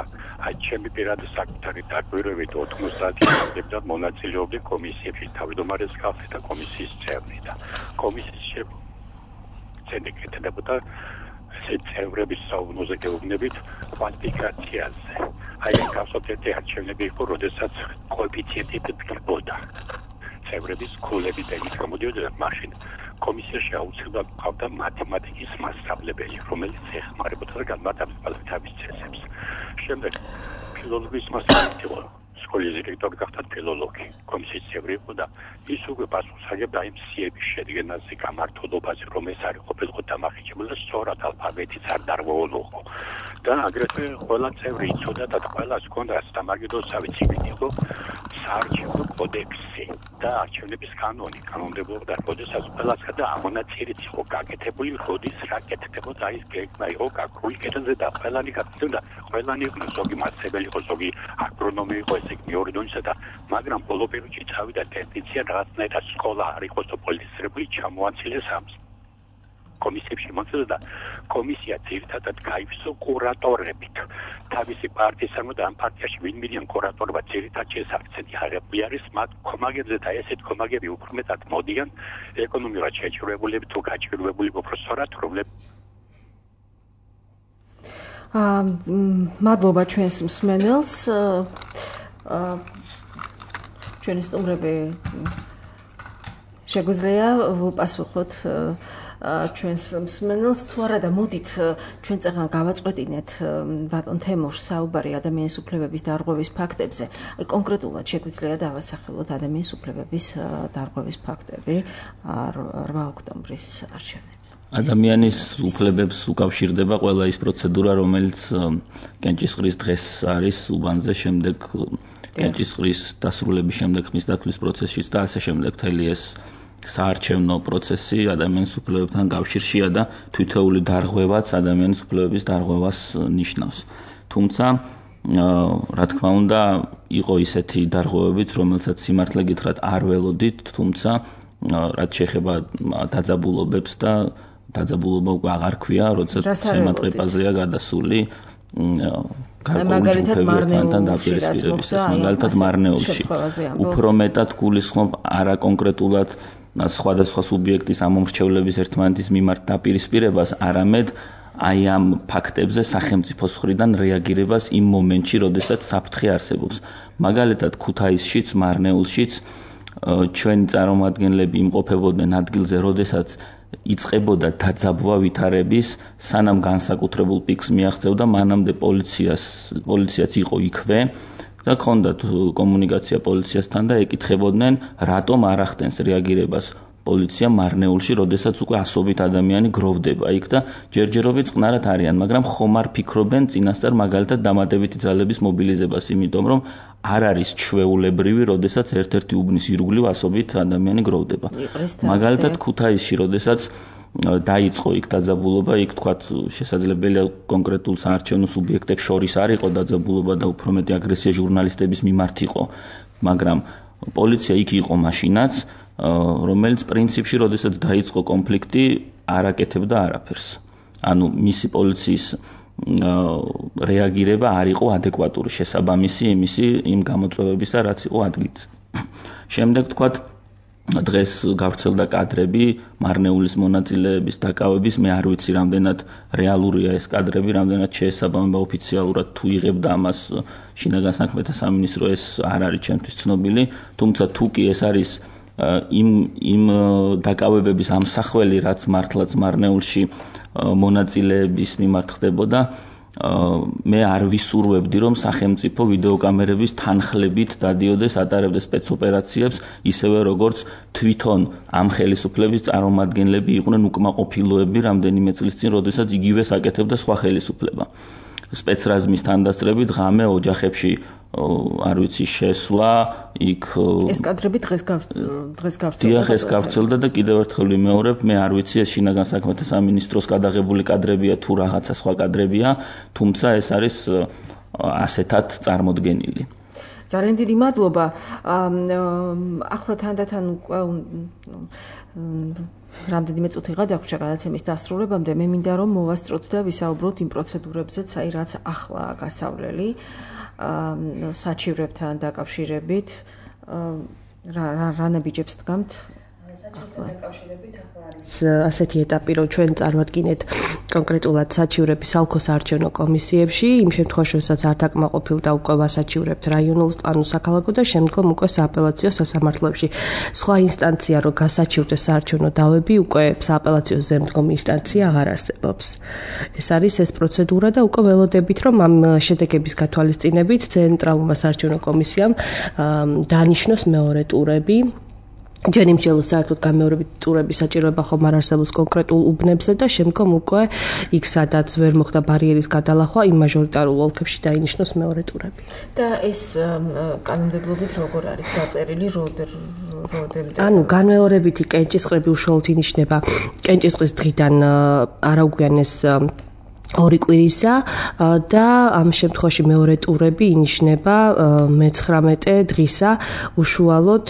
აი ჩემი პირადი საკუთარი დაკვირვებით 80 საათი მანძილზე მონაწილეობდი კომისიებში თავმჯდომარის კავშირი და კომისიის წევრი და კომისიის შედეგებოდა ესე წევრების საუბნოზე გეუბნებით კვალიფიკაციაზე. აი გასოფეთი არჩევნები იყო, როდესაც კოეფიციენტი დგებოდა. წევრების ქულები და ის გამოდიოდა მაშინ კომისიაში აუცილებლად ყავდა მათემატიკის მასწავლებელი, რომელიც ეხმარებოდა და განმარტავდა თავის წესებს. შემდეგ ფილოლოგიის მასწავლებელი იყო, სკოლის დირექტორი გახდა ფილოლოგი, კომისიის წევრი იყო და ის უკვე პასუხს აგებდა იმ სიების შედგენაზე, გამართულობაზე, რომ ეს არის ყოფილიყო დამახინჯებული და სწორად ალფაბეტიც არ დარღვეულიყო. და აგრეთვე ყველა წევრი იცოდა და ყველას ჰქონდა სამაგიდოსავი ციგნი იყო საარჩევნო კოდექსი და არჩევნების კანონი, კანონმდებლობა, როდესაც ყველას და ამონაწილეც იყო გაკეთებული, როდის რა კეთდებოდა, ის გეგმა იყო გაკრული კედელზე და ყველანი გაკეთდა, ყველანი იყო ზოგი მასწავლებელი იყო, ზოგი აგრონომი იყო, ესე მეორე დონეზე და მაგრამ ბოლო პერიოდში წავიდა ტენდენცია რაღაცნაირად სკოლა არ იყოს პოლიტიზირებული, ჩამოაცილეს ამს. კომისიებში მოწოდა კომისია ძირითადად გაივსო კურატორებით. თავისი პარტიისგან და ამ პარტიაში ვინ მიდიან კურატორობა ძირითადად შესაძლებელი აღებული არის მათ კომაგებზე და ესეთ კომაგები უფრო მეტად მოდიან ეკონომიკურად შეჭრებულები თუ გაჭირვებული პროფესორად, რომლებიც მადლობა ჩვენს მსმენელს. ჩვენი სტუმრები შეგვიძლია ვუპასუხოთ ჩვენს მსმენელს თუ არა და მოდით ჩვენ წერან გავაწყვეტინეთ ბატონ თემურს საუბარი ადამიანის უფლებების დარღვევის ფაქტებზე. აი კონკრეტულად შეგვიძლია დავასახელოთ ადამიანის უფლებების დარღვევის ფაქტები 8 ოქტომბრის არჩევნებში. ადამიანის უფლებებს უკავშირდება ყველა ის პროცედურა, რომელიც კენჭისყრის დღეს არის უბანზე, შემდეგ კენჭისყრის დასრულების შემდეგ ხმის დათვლის პროცესშიც და ასე შემდეგ მთელი ეს საარჩევნო პროცესი ადამიანის უფლებებთან კავშირშია და თითოეული დარღვევაც ადამიანის უფლებების დარღვევას ნიშნავს. თუმცა, რა თქმა უნდა, იყო ისეთი დარღვევებიც, რომელსაც სიმართლე გითხრათ არ ველოდით, თუმცა რაც შეეხება დაძაბულობებს და დაძაბულობა უკვე აღარ ქვია, როდესაც შემატყეპაზეა გადასული მაგალითად მარნეულში. უფრო მეტად გულისხმობ არა კონკრეტულად სხვადასხვა სუბიექტის ამომრჩევლების ერთმანეთის მიმართ დაპირისპირებას, არამედ აი ამ ფაქტებზე სახელმწიფოს მხრიდან რეაგირებას იმ მომენტში, როდესაც საფრთხე არსებობს. მაგალითად, ქუთაისშიც, მარნეულშიც ჩვენი წარმომადგენლები იმყოფებოდნენ ადგილზე, როდესაც იწყებოდა დაძაბვა ვითარების, სანამ განსაკუთრებულ პიკს მიაღწევდა, მანამდე პოლიციაც იყო იქვე და ჰქონდათ კომუნიკაცია პოლიციასთან და ეკითხებოდნენ, რატომ არ ახდენს რეაგირებას პოლიცია მარნეულში, როდესაც უკვე ასობით ადამიანი გროვდება იქ და ჯერჯერობით წყნარად არიან, მაგრამ ხომ არ ფიქრობენ წინასწარ მაგალითად დამატებითი ძალების მობილიზებას, იმიტომ რომ არ არის ჩვეულებრივი, როდესაც ერთ-ერთი უბნის ირგვლივ ასობით ადამიანი გროვდება. მაგალითად ქუთაისში, როდესაც დაიწყო იქ დაძაბულობა, იქ თქვათ შესაძლებელია კონკრეტულ საარჩევნო სუბიექტებს შორის არ იყო დაძაბულობა და უფრო მეტი აგრესია ჟურნალისტების მიმართ იყო, მაგრამ პოლიცია იქ იყო მაშინაც, რომელიც პრინციპში, როდესაც დაიწყო კონფლიქტი, არ აკეთებდა არაფერს. ანუ მისი პოლიციის რეაგირება არ იყო ადეკვატური, შესაბამისი იმისი იმ გამოწვევებისა, რაც იყო ადგილზე. შემდეგ თქვათ დღეს გავრცელდა კადრები მარნეულის მონაწილეების დაკავების, მე არ ვიცი რამდენად რეალურია ეს კადრები, რამდენად შეესაბამება ოფიციალურად თუ იღებდა ამას შინაგან საქმეთა სამინისტრო, ეს არ არის ჩემთვის ცნობილი, თუმცა თუ კი ეს არის იმ დაკავებების ამსახველი, რაც მართლაც მარნეულში მონაწილეების მიმართ ხდებოდა, მე არ ვისურვებდი, რომ სახელმწიფო ვიდეოკამერების თანხლებით დადიოდეს, ატარებდეს სპეცოპერაციებს, ისევე როგორც თვითონ ამ ხელისუფლების წარმომადგენლები იყვნენ უკმაყოფილოები რამდენიმე წლის წინ, როდესაც იგივეს აკეთებდა სხვა ხელისუფლება. სპეცრაზმის თანდასწრებით ღამე ოჯახებში არ ვიცი შესვლა, იქ ეს კადრები დღეს გავრცელდა და კიდევ ერთხელ ვიმეორებ, მე არ ვიცი ეს შინაგან საქმეთა სამინისტროს გადაღებული კადრებია თუ რაღაცა სხვა კადრებია, თუმცა ეს არის ასეთად წარმოდგენილი. ძალიან დიდი მადლობა. ახლა თანდათან უკვე რამდენიმე წუთი გადაგვრჩა გადაცემის დასრულებამდე, მე მინდა რომ მოვასწროთ და ვისაუბროთ იმ პროცედურებზეც, აი რაც ახლა გასავლელი საჩივრებთან დაკავშირებით, რა ნაბიჯებს დგამთ? საჩივრებთან დაკავშირებით ახლა არის ასეთი ეტაპი, რომ ჩვენ წარმოვადგინეთ კონკრეტულად საჩივრების ალქოს საარჩევნო კომისიებში, იმ შემთხვევაში, როდესაც არ დაკმაყოფილდა უკვე ვასაჩივრებთ რაიონულ პლანურ საქალაქო და შემდგომ უკვე სააპელაციო სასამართლოებში. სხვა ინსტანცია, რომ გასაჩივრდეს საარჩევნო დავები, უკვე სააპელაციო ზემდგომი ინსტანცია აღარ არსებობს. ეს არის ეს პროცედურა და უკვე ველოდებით, რომ ამ შედეგების გათვალისწინებით ცენტრალურმა საარჩევნო კომისიამ დანიშნოს მეორე ტურები. ჯერ იმჩელო საერთოდ გამეორებით ტურების საჭიროება ხომ არ არსებობს კონკრეტულ უბნებზე და შემდგომ უკვე იქ სადაც ვერ მოხდა ბარიერის გადალახვა, იმ მაჟორიტარულ ოლქებში დაინიშნოს მეორე ტურები. და ეს კანონმდებლობით როგორ არის დაწერილი, როდემდე? ანუ განმეორებითი კენჭისყრები უშუალოდ ინიშნება კენჭისყრის დღიდან არაუგვიანეს 2 კვირისა და ამ შემთხვევაში მეორე ტურები ინიშნება მე-19 დღისა უშუალოდ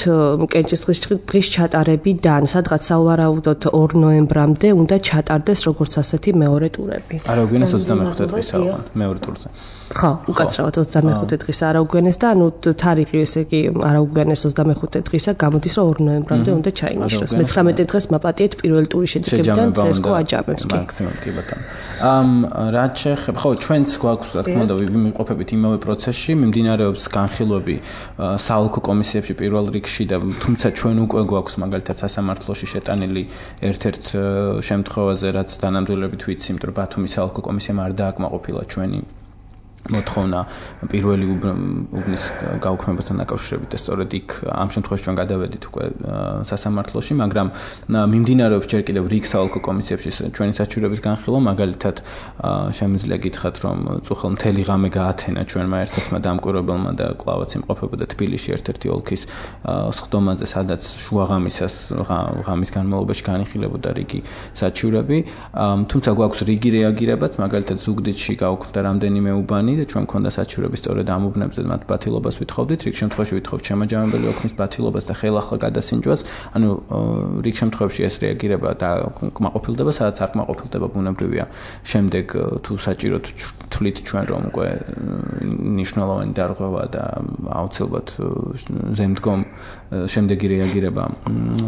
კენჭისყრის დღის ჩატარებიდან, სადღაც სავარაუდოდ 2 ნოემბრამდე უნდა ჩატარდეს როგორც ასეთი მეორე ტურები. არაუგვიანეს 25 დღის მეორე ტურზე. ხო, უკაცრავად 25 დღის არაუგვიანეს და ანუ თარიღი ესე იგი არაუგვიანეს 25 დღისა გამოდის რომ 2 ნოემბრამდე უნდა ჩაინიშნოს. მე-19 დღეს მაპატიეთ პირველი ტურის შედეგებიდან CSKO აჯამებს კი. მაქსიმუმ კი ბატონო. რაც შეეხება, ხო, ჩვენც გვაქვს, რა თქმა უნდა, ვიმყოფებით იმავე პროცესში, მიმდინარეობს განხილვები საალკო კომისიებში პირველ რიგში და თუმცა ჩვენ უკვე გვაქვს მაგალითად სასამართლოში შეტანილი ერთ-ერთ შემთხვევაზე, რაც დანამდვილებით ვიცი, იმიტომ რომ ბათუმის საალკო კომისიამ არ დააკმაყოფილა ჩვენი მოთხოვნა პირველი უბნის გაუქმებასთან დაკავშირებით და სწორედ იქ ამ შემთხვევაში ჩვენ გადავედით უკვე სასამართლოში, მაგრამ მიმდინარეობს ჯერ კიდევ რიგ საალკო კომისიებში ჩვენი საჩივრების განხილვა, მაგალითად შემიძლია გითხრათ, რომ წუხელ მთელი ღამე გაათენა ჩვენმა ერთ-ერთმა დამკვირვებელმა და კვლავაც იმყოფებოდა თბილისში ერთ-ერთი ოლქის სხდომაზე, სადაც შუაღამისას ღამის განმავლობაში განიხილებოდა რიგი საჩივრები, თუმცა გვაქვს რიგი რეაგირებაც, მაგალითად ზუგდიდში გაუქმდა რამდენიმე უბანი და ჩვენ მქონდა საჩივრები სწორედ ამ უბნებზე მათ ბათილობას ვითხოვდით, რიგ შემთხვევაში ვითხოვთ შემაჯამებელი ოქმის ბათილობას და ხელახლა გადასინჯვას, ანუ რიგ შემთხვევაში ეს რეაგირება და კმაყოფილდება, სადაც არ კმაყოფილდება ბუნებრივია. შემდეგ თუ საჭიროდ თვლით ჩვენ რომ უკვე ნიშნულოვანი დარღვევა და აუცილებლად ზემდგომ შემდეგი რეაგირება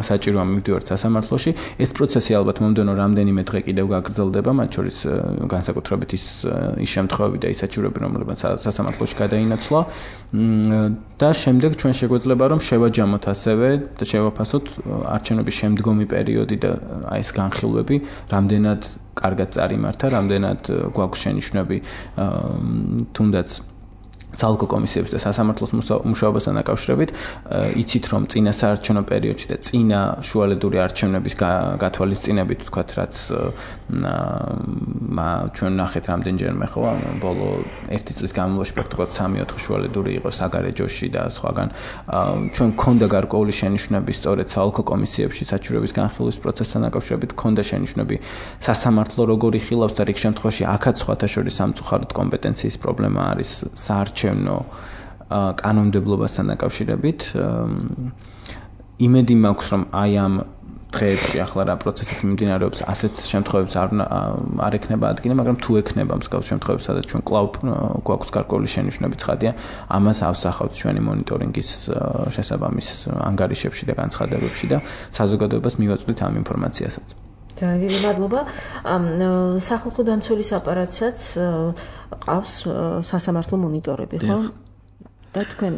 საჭიროა მივდივართ სასამართლოში. ეს პროცესი ალბათ მომდევნო რამდენიმე დღე კიდევ გაგრძელდება, მათ შორის განსაკუთრებით ის შემთხვევები და ის საჭიროები, რომლებიც სასამართლოში გადაინაცვლა და შემდეგ ჩვენ შეგვეძლება რომ შევაჯამოთ ასევე და შევაფასოთ არჩევნების შემდგომი პერიოდი და აი ეს განხილვები რამდენად კარგად წარიმართა, რამდენად გვაქვს შენიშვნები თუნდაც საალკო კომისიების და სასამართლოს მუშაობასთან დაკავშირებით, იცით რომ წინა საარჩევნო პერიოდში და წინა შუალედური არჩევნების გათვალისწინებით, ვთქვათ, რაც ჩვენ ნახეთ რამდენჯერმე ხო, ბოლო 1 წლის განმავლობაში პრაქტიკულად 3-4 შუალედური იყო საგარეჯოში და სხვაგან. ჩვენ გქონდა გარკვეული შენიშვნები სწორედ საალკო კომისიებში საჩივრების განხილვის პროცესთან დაკავშირებით, გქონდა შენიშვნები სასამართლო როგორ იხილავს და რიგ შემთხვევაში აქაც სხვათა შორის სამწუხაროდ კომპეტენციის პრობლემა არის საარჩევნო კანონმდებლობასთან დაკავშირებით. იმედი მაქვს, რომ აი ამ დღეებში ახლა რა პროცესიც მიმდინარეობს, ასეთ შემთხვევებს არ ექნება ადგილი, მაგრამ თუ ექნება მსგავს შემთხვევებს, სადაც ჩვენ კვლავ გვაქვს გარკვეული შენიშვნები ცხადია, ამას ავსახავთ ჩვენი მონიტორინგის შესაბამის ანგარიშებში და განცხადებებში და საზოგადოებას მივაწვდით ამ ინფორმაციასაც. ძალიან დიდი მადლობა. სახალხო დამცველის აპარატსაც ყავს სასამართლო მონიტორები, ხო? და თქვენ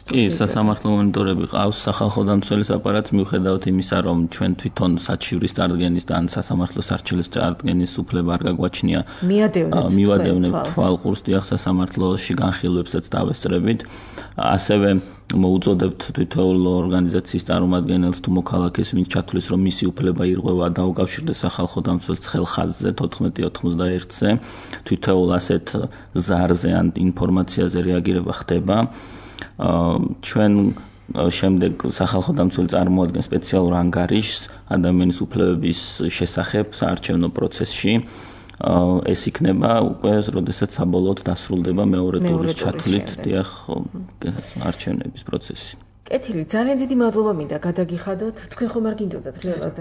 კი, სასამართლო მონიტორები ყავს სახალხო დამცველის აპარატს, მიუხედავად იმისა, რომ ჩვენ თვითონ საჩივრის წარდგენის და ან სასამართლოს არჩევის წარდგენის უფლება არ გაგვაჩნია. მივადევნებთ თვალყურს დიახ სასამართლოში განხილვებსაც დავესწრებით. ასევე მოუწოდებთ თითოეულ ორგანიზაციის წარმომადგენელს თუ მოქალაქეს, ვინც ჩათვლის, რომ მისი უფლება ირღვევა, დაუკავშირდეს სახალხო დამცველს ხაზზე 1491-ზე. თითოეულ ასეთ ზარზე ან ინფორმაციაზე რეაგირება ხდება. ჩვენ შემდეგ სახალხო დამცველი წარმოადგენს სპეციალურ ანგარიშს ადამიანის უფლებების შესახებ საარჩევნო პროცესში. ეს იქნება უკვე, როდესაც საბოლოოდ დასრულდება მეორე ტურის ჩათვლით დიახ არჩევნების პროცესი. კეთილი, ძალიან დიდი მადლობა მინდა გადაგიხადოთ. თქვენ ხომ არ გინდოდათ რეალად?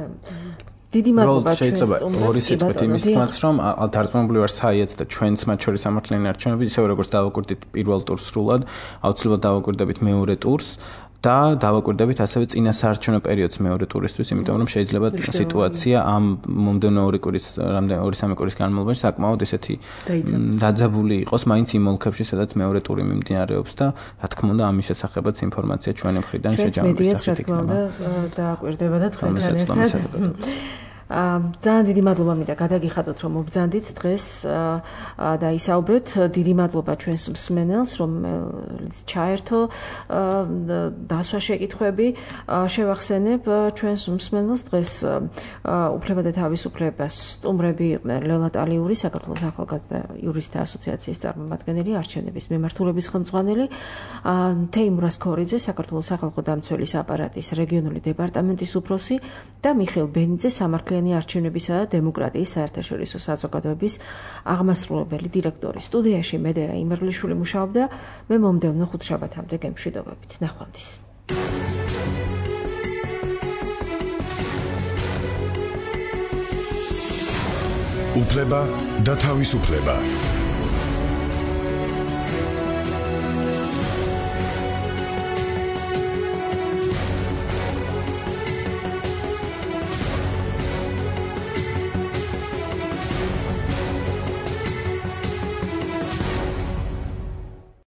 დიდი მადლობა ჩვენს სტუმრებს. ორი სიტყვით იმის თქმაც, რომ დარწმუნებული ვარ საიაც და ჩვენც მათ შორის სამართლიანი არჩევნები, ისევ როგორც დავაკვირდით პირველ ტურს სრულად, აუცილებლად დავაკვირდებით მეორე ტურს. და დავაკვირდებით ასევე წინა საარჩევნო პერიოდს მეორე ტურისთვის, იმიტომ რომ შეიძლება სიტუაცია ამ მომდევნო 2-3 კვირის განმავლობაში საკმაოდ ესეთი დაძაბული იყოს მაინც იმ ოლქებში, სადაც მეორე ტური მიმდინარეობს და რა თქმა უნდა ამის შესახებაც ინფორმაცია ჩვენი მხრიდან შეჯამების სახით იქნება. დააკვირდება და თქვენთან ერთად. ძალიან დიდი მადლობა მინდა გადაგიხადოთ, რომ მობრძანდით დღეს და ისაუბრეთ. დიდი მადლობა ჩვენს მსმენელს, რომ ჩაერთო დასვა შეკითხვები. შევახსენებ ჩვენს მსმენელს დღეს უფლება და თავისუფლებას სტუმრები იყვნენ ლელა ტალიური, საქართველოს ახალგაზრდა იურისტთა ასოციაციის წარმომადგენელი, არჩევნების მემართულების ხელმძღვანელი, თეიმურ ასქორიძე, საქართველოს სახალხო დამცველის აპარატის რეგიონული დეპარტამენტის უფროსი და მიხეილ ბენიძე, სამართლიანი არჩევნებისა და დემოკრატიის საერთაშორისო საზოგადოების აღმასრულებელი დირექტორი. სტუდიაში მედეა იმერლიშვილი მუშაობდა. მე მომდევნო ხუთშაბათამდე გემშვიდობებით. ნახვამდის. უფლება და თავისუფლება.